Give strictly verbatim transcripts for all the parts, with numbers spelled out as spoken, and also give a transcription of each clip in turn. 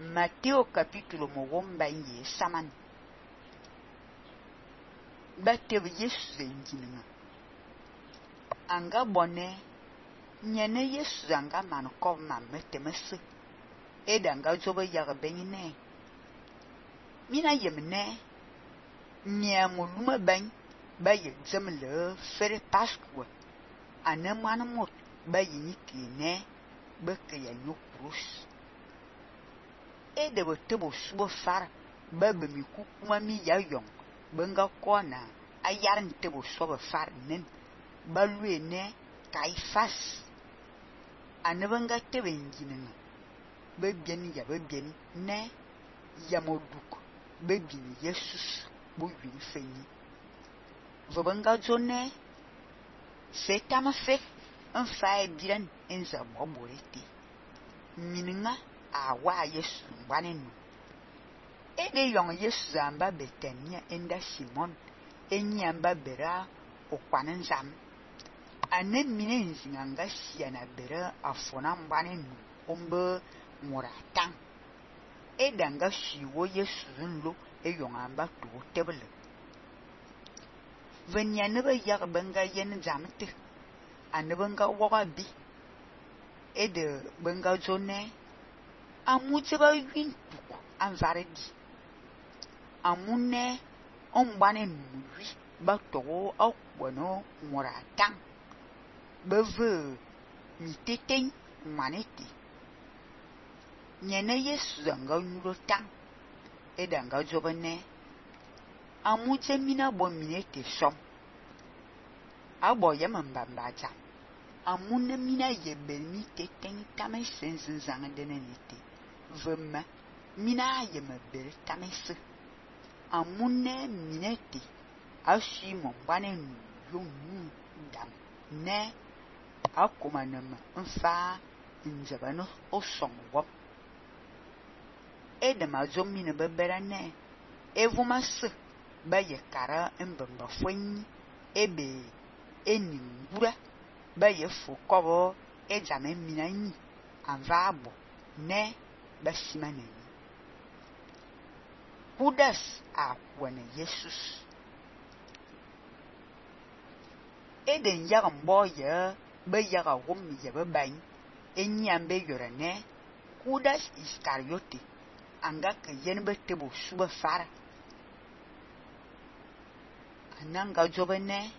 Mateo capítulo mogomba ye saman. Batebe Yesu zenjinga. Anga bone nyene Yesu anga man kov man metemese. Edanga jobe yaga benine. Mina yemne nyamuluma bany ba ye zemle fere Pascua. Ane mwana mot ba yini kine beke ya nyokrus. Ede botebo subo far ba bemi kukuma mi ya yong benga kona ayaran tebo sobe far nen ba luene Kaifas. Ane benga tebe njinenga ba bien ya ba bien ne yamoduk ba bien Jesus bo yin fenyi. Vobenga jone setama fe un fae biran enza moborete. Mininga awa Yesu mbanenu. Ede yong Yesu amba Betania enda Simon enyi amba bera okwanen zam. Ane mine nzinganga siana bera afona mbanenu ombe moratang. Edanga shiwo Yesu nlo e yong amba to tebele. Venya neba yag benga yen zamte. Ane benga waga bi. Ede benga jone amuje ba yun tuku anvaredi. Amune ombane nuri ba togo akwano moratang. Beve miteten manete. Nyene Yesu zanga nyuro tang. Edanga jobene amuje mina bo minete som. Abo yamambamba jam. Amune mina yebe mi teten tame senzen zanga denenete. Vema mina yeme bel tamese. Amune minete ashi mombane yonu dam ne akomanema mfa njabano osong wop. Edema zomine bebera ne evumase ba yekara mbemba fwenyi ebe eningura ba yefu kobo ejame minanyi anvabo ne basimane. Judas akwane Jesus. Eden yaga mboye ba yaga wom yebe bany enyambe yorane Judas Iscariote anga ke yen betebo suba fara. Ananga jobene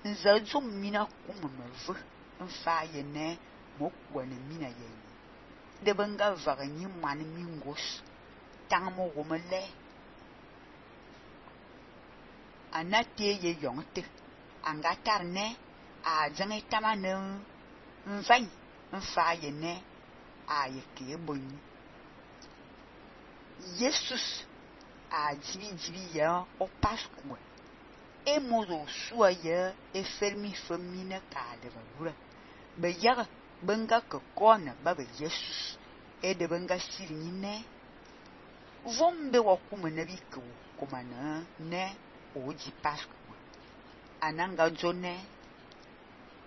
nzajum mina kumumeve mfa yene mokwane mina yeni. De benga vaganyi mani mingos tangmo womele. Anate ye yongte anga tarne a jange tamane mfany mfa yene a yeke bonyi. Jesus a jibi jibi ya o Pascua. E mozo suwa ya e fermi femine ka de valura. Be yaga benga ke kona babe Jesus. E de benga sirinine. Vombe wakume nebi ke kumana ne oji Pascua. Ananga jone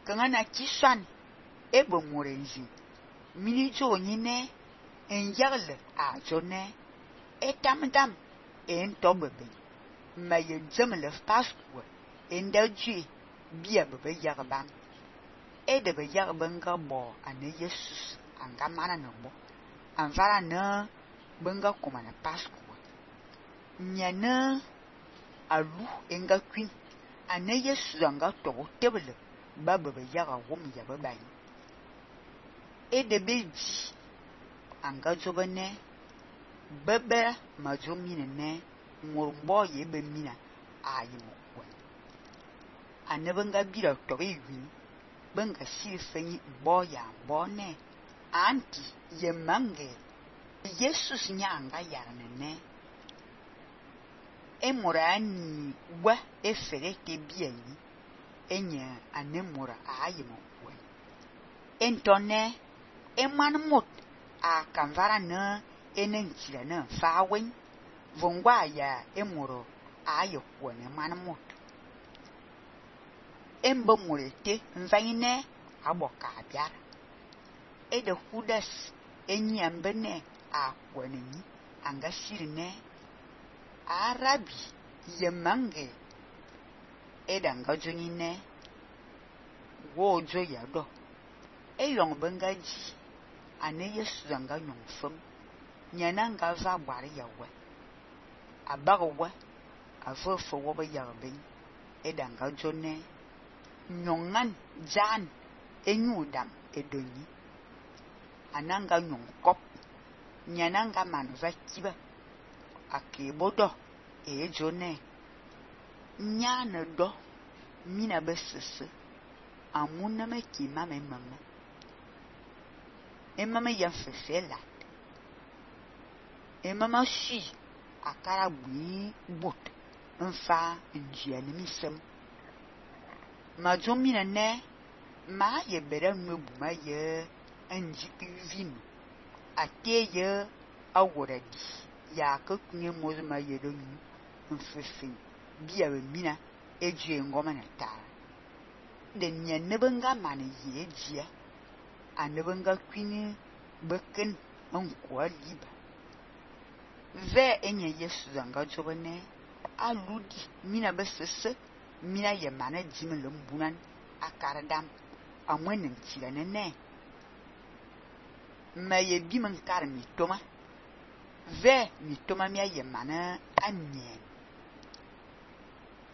kangana kiswan ebo morenzi. Mini jo nyine enyagle a jone etamdam en tobebe. Ma ye zemle Pascua enda jwe bia bebe yagban. E de be yagbenga bo ane Jesus anga mana no bo. Anvara na benga komana Pascua. Nyana alu enga kwin ane Jesus anga togo tebele ba bebe yaga wom yabe bany. E de beji anga jobene bebe majomine ne ngorumbo yebe mina ayimo kwen. Ane benga bira tobe yun benga sirifenyi mbo ya mbo ne anti ye mange Jesus nyanga yarne ne emora ani wa eferete bieni enye anemora ayimo kwen. Entone eman mot a kanvara na enentira na fawen vongwa ya emoro ayo kwen man mot. Embo morete mvayine aboka abiara. E de Judas enyambene a kwanani anga sirne arabi yemange edanga jonine wojo yado eyong bengaji ane Yesu zanga nyongfum nyananga va bwari yawe abagwa avofo woba yarben edanga jone nyongan jan enyudam edonyi ananga nyongkop nyananga manva kiba akebodo e jone nyana do mina besese amuna me kima me mama e mama ya fefela e mama shi akara bui bot nfa njia ni misem ma jomina ne ma ye bere nwebu ma ye anjipi vin ateye awuradi ya ka kunye mozo ma ye do nyu mfefin biya be mina eje ngoma na tara de nya nebenga mane ye jia anebenga kwini beken onkwa liba ve enye Yesu zanga jobane aludi mina besese mina ye mane jimele mbunan akaradam amwenen tirane ne ma ye bimen kar mi toma ve mi toma mi ye mane anye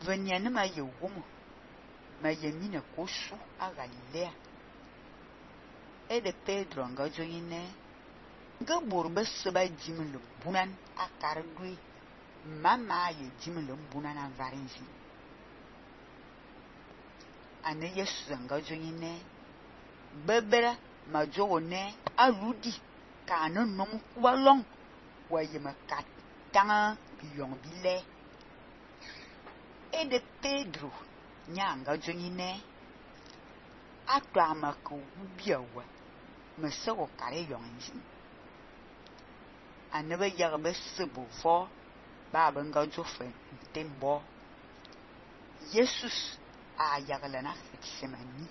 venya ne ma ye womo ma ye mina kosu a Galilea ede Pedro nga joine nga borbe seba jimele bunan akardui mama ye jimele bunan avarinzi ane Yesu nga joine bebera majone aludi kana nom kwalong waye makat tanga biyong bile ede Pedro nyanga joine atwa mako biawa mesewo kare yonzi anebe yarbe sebo fo ba benga jofen tembo Jesus a yagalana Getsemani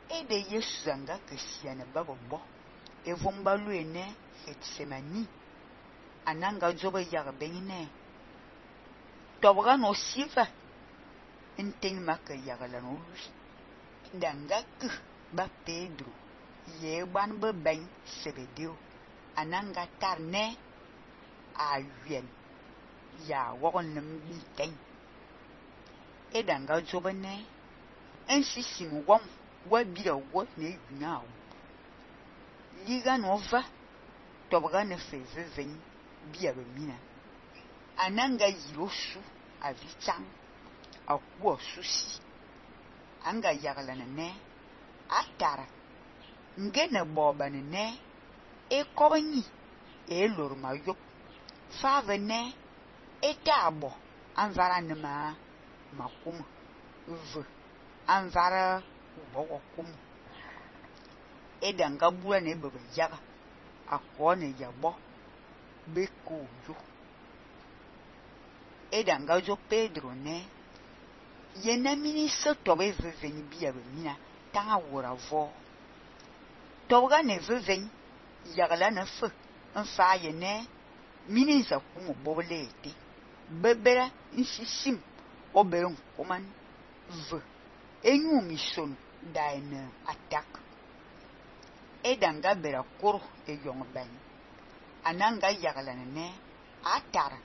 ede Yesu zanga kesiane babbo evomba luene Getsemani ananga jobe yarbe ne tobga no sifa enteng maka yagalana olusi danga ku ba Pedro ye ban be ben sebedeo ananga tarne a yen ya wogon nem biteng edanga jobane ensi simu wom wa bira wo ne yuna liga nova tobga ne feveven bia be mina ananga yirosu avichang akwo susi anga yagalana ne atara ngene boba ne e kobani e lorma yop fave ne e tabo anvara ne ma makum v anvara bogo kum e danga bua ne bebe yaga akone yabo beko yo e danga jo Pedro ne yena mini so tobe veveni bia be mina tanga wora vo toga ne veven yagala na fe nfa ye ne mini za kumo boblete bebera nsisim oberon koman v enyu mission daina attack edanga bera koro e yong ben ananga yagala ne atara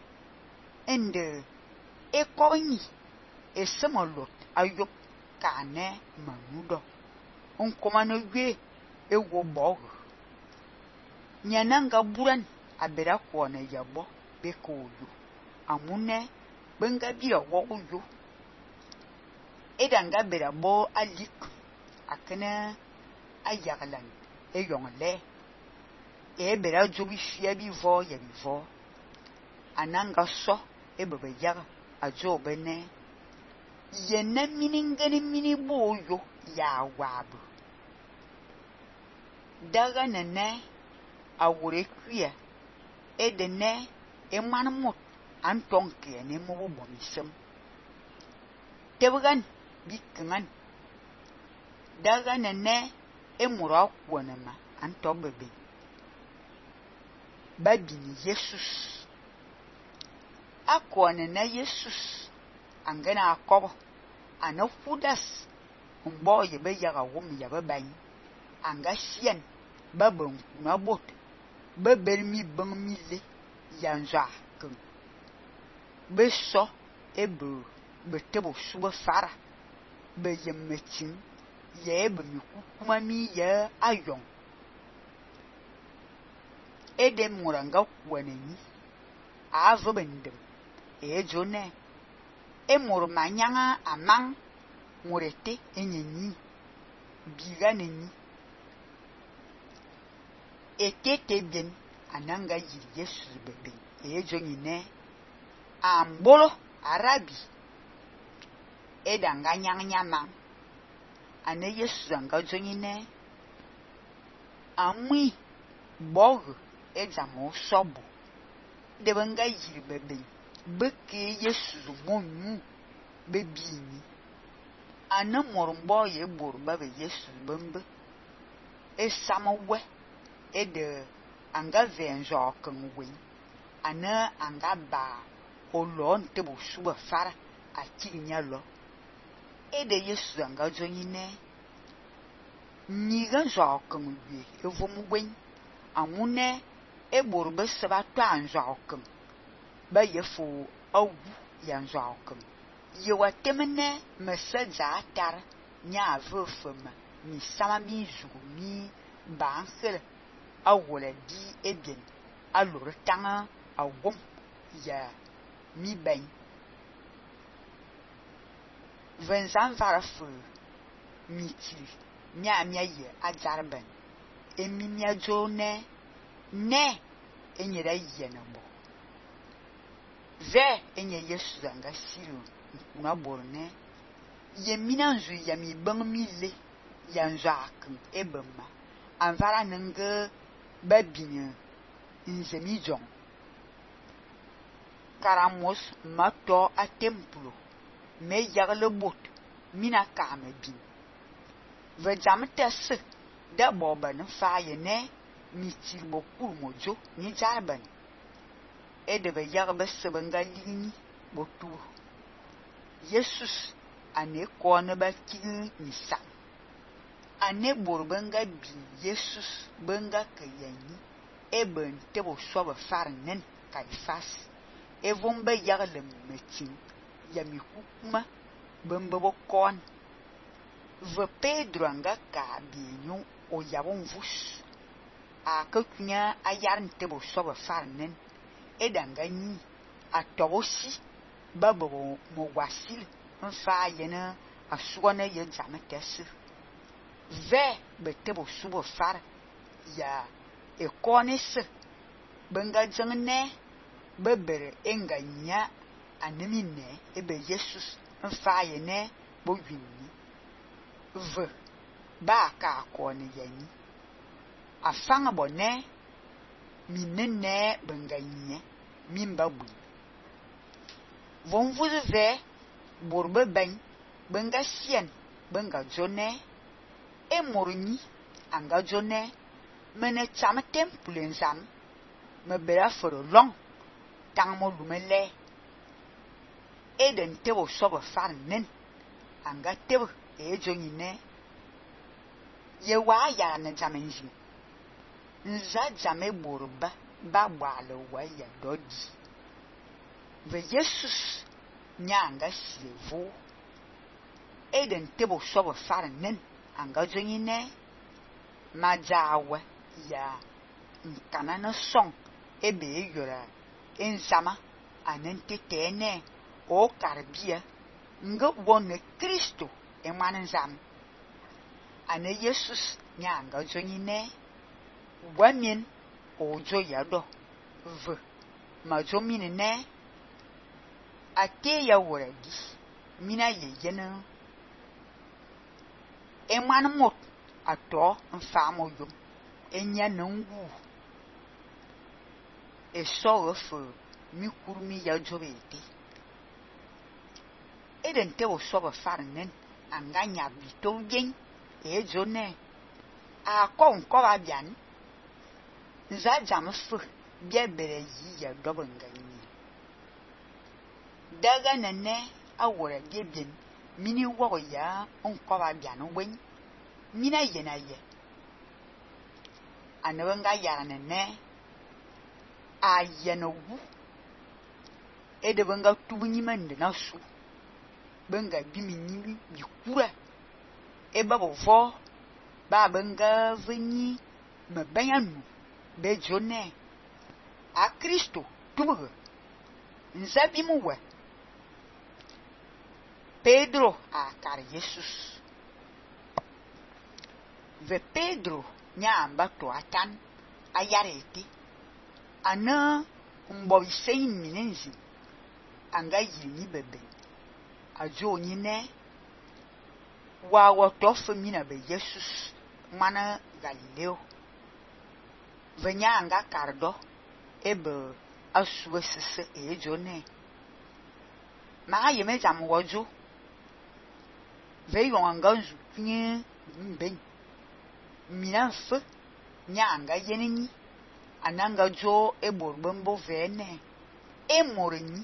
ende e koyi e semolot ayop kane manudo on komano gwe e wo bog nyananga buran abera kwona yabo bekoyo amune benga bira wo yo edanga bera bo alik akana ayagalan e yongle e bera jobi fia bi vo ya bi vo ananga so e bebe yaga ajo bene yena miningani mini boyo ya wabu daga nene awure kuya edene emanmut antonke ne mo bomisem tebugan bikangan daga nene emura kwonema anto bebe babini Jesus akone na Jesus angana akobo ana fudas mbo ye be yaga wom ya be ban anga sien babon na bot bebermi ban mi le yanja kun be so ebe betebo suba fara be yemetin ye be mi kuma mi ye ayon edem muranga kwanani avo bendem ejone emur manyanga amang murete enyenyi biganeni etete bien ananga yi Yesu bebe ejoni ne ambolo arabi edanga nyang nyama ane Yesu anga joni ne amui bog ejamo sobo de banga yi bebe beke Yesu monu bebini ana mormbo ye borba be Yesu bembe e samawe e de anga venjo kan wen ana anga ba olon te bo suba fara atinya lo e de Yesu anga joni ne ni ganjo kan wi e vom wen amune e borba seba to anjo kan ba yefo awu yanjo kan ye watemene mesaja tar nya avofema mi sama mi zugu mi bansel awole di ebien alore tanga awom ya mi ben venzan varafu miti nya mia ye ajarben emi mia jone ne enyere yena bo ve enye Yesu anga siru na borne yemina nzu yami bang mi le yanjak ebema anvara nenge babine nzemi jong karamos mato a templo me yagle bot mina kame bin ve jamtes da boban faye ne mi tilbo kurmojo ni jarban e de be yagbe sebenga lini botu Jesus ane kone ba kin nisa ane borbenga bi Jesus benga kayani eben tebo sobe farnen kaifas e vombe yagle metin yami kukuma bembe bo kon ve Pedro anga ka bienyu o yabon vus a kakunya ayarn tebo sobe farnen edanga ni atobosi babo mo wasil mfa yena asugona ye jametes ve betebo subo far ya ekonis benga jangne bebere enganya anemine ebe Jesus mfa yene bo winni ve ba ka akone yani afanga bone minene benganye mimba bu von vous ve borbe ben benga sien benga jone e morni anga jone mene cham temple nzam me bera foro long tang mo lumele e den tebo sobo far nen anga tebo e joni ne ye wa ya na jamenji nza jame borba ba bwale wa ya dodi ve Jesus nyanga sivo eden tebo sobo farnen anga joni ne majawe ya nkana na song ebe yora enzama anente tene o karbia nga wonne Kristo e manzam ane Jesus nyanga joni ne wamin ojo yado v majomine ne ate ya woradi mina ye yena e man mot ato mfamo yum enya nangu e so f mi kurmi ya jobeti eden te o so ba farnen anganya bito gen e jone a ko nko ba bian za jam fu bia bere yi ya do bangani daga nane awora bia bien mini wo ya nko ba bian wen mina ye na ye anabanga ya nane a ye no wu e de banga tubunyi mande na su banga bimi nyimi bi kura e ba bo vo ba banga venyi me banyanu be jone a Kristo tubugo nzabi mu we Pedro a kar Jesus ve Pedro nyamba to atan ayarete ana mbo isen minenzi anga yini bebe ajo nyine wa woto femina be Jesus mana Galileo venya anga kardo ebe asuwe sese ejone ma yeme jam wojo ve yon anga zu nye mben mina fe nya anga yeneni ananga jo eborbombo vene emorenyi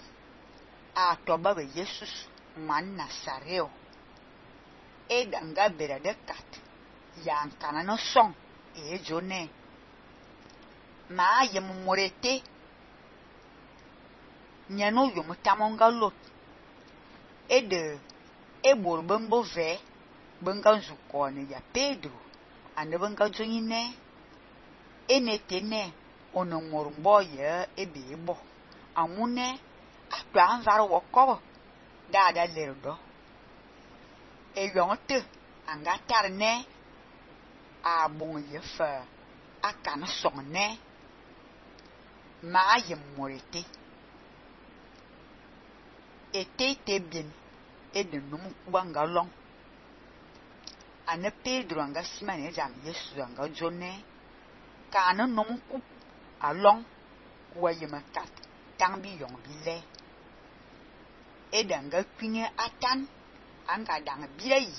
a toba be Jesus man Nasareo e danga bere de kat yan kana no son e jone ma yem morete nyano yom tamonga lot e de e borbombo ve benga zuko ne ya Pedro ande benga jonyine enetene ono morumbo ye ebe bo amune atwa anvaro wokobo dada lerdo e yonte anga tarne a bon ye fa akana sonne ma ye morete ete te bien e de numu kubanga long ane Pedro anga simane jam Yesu anga jone kana numu ku along kuwa ye makat tangbi yong bile e danga kwinye atan anga dang bile yi